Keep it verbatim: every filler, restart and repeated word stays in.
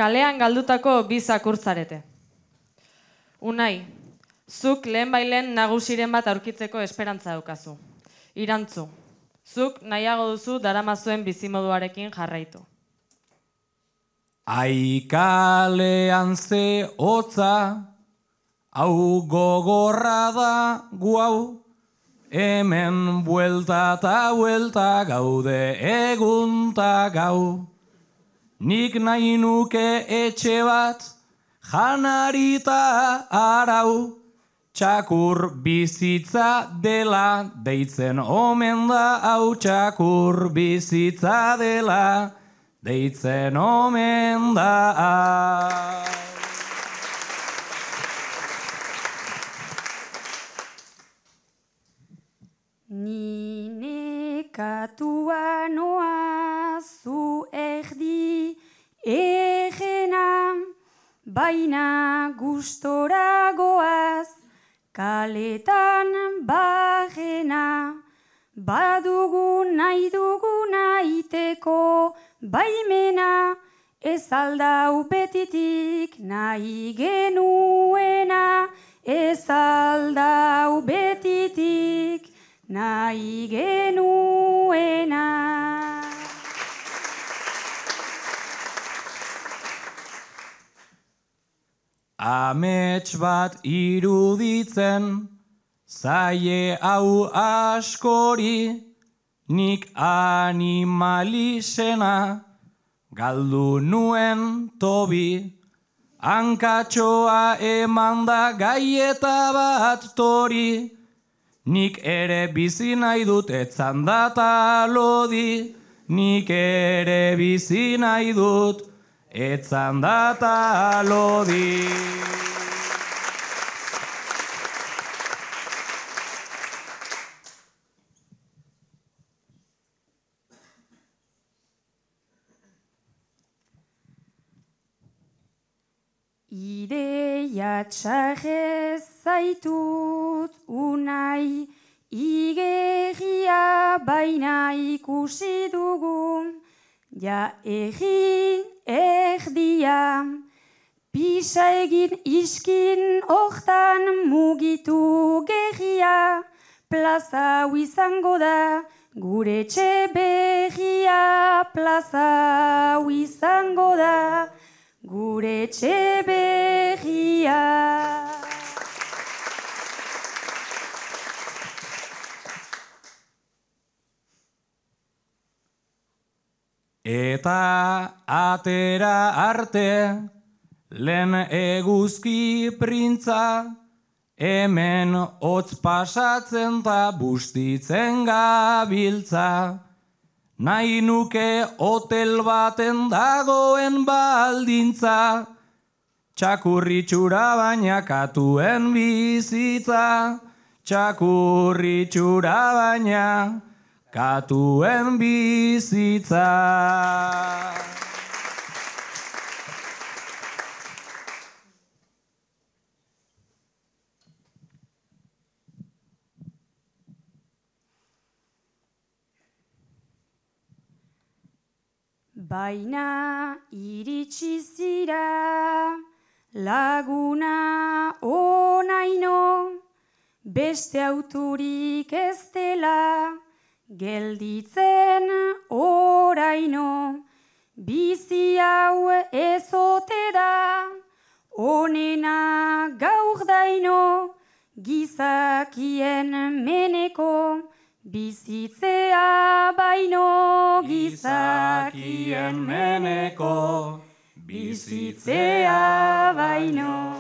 Kalean galdutako bi zakurtzarete. Unai, zuk lehen bailen nagusiren bat aurkitzeko esperantza daukazu. Irantzu, zuk nahiago duzu daramazuen bizimoduarekin jarraitu. Aikalean ze hotza, hau gogorra da guau, hemen buelta eta buelta gaude egun ta gau. Nik nahi nuke etxe bat, janarita arau, txakur bizitza dela, deitzen omen da hau txakur bizitza dela, deitzen omen da hau. Ni nekatua noa zu erdi egena, baina gustora goaz kaletan barrena. Badugu nahi duguna iteko baimena, ez aldau betitik nahi genuena, ez aldau betitik nahi genuena. Amets bat iruditzen, zaie hau askori, nik animalisena, galdu nuen tobi, hankatxoa eman da gaieta bat tori, nik ere bizi nahi dut etzan data lodi, nik ere bizi nahi dut etzan data lodi. Ideia txarrez zaitut unai, igerria baina ikusi dugu, ja egin erdia, pisa egin iskin hortan mugitu gerria, plaza hau izango da gure etxe berria, plaza hau izango da gure etxe berria. Eta atera arte, lehen eguzki printza, hemen hotz pasatzen ta bustitzen gabiltza. Nahi nuke hotel baten dagoen baldintza, txakurritxura baina katuen bizitza, txakurritxura baina katuen bizitza. Baina iritsi zira laguna onaino, beste auturik ez dela gelditzen oraino. Bizi hau ez ote da onena gaur daino, gizakien meneko bizitzea baino, gizakien meneko bizitzea baino.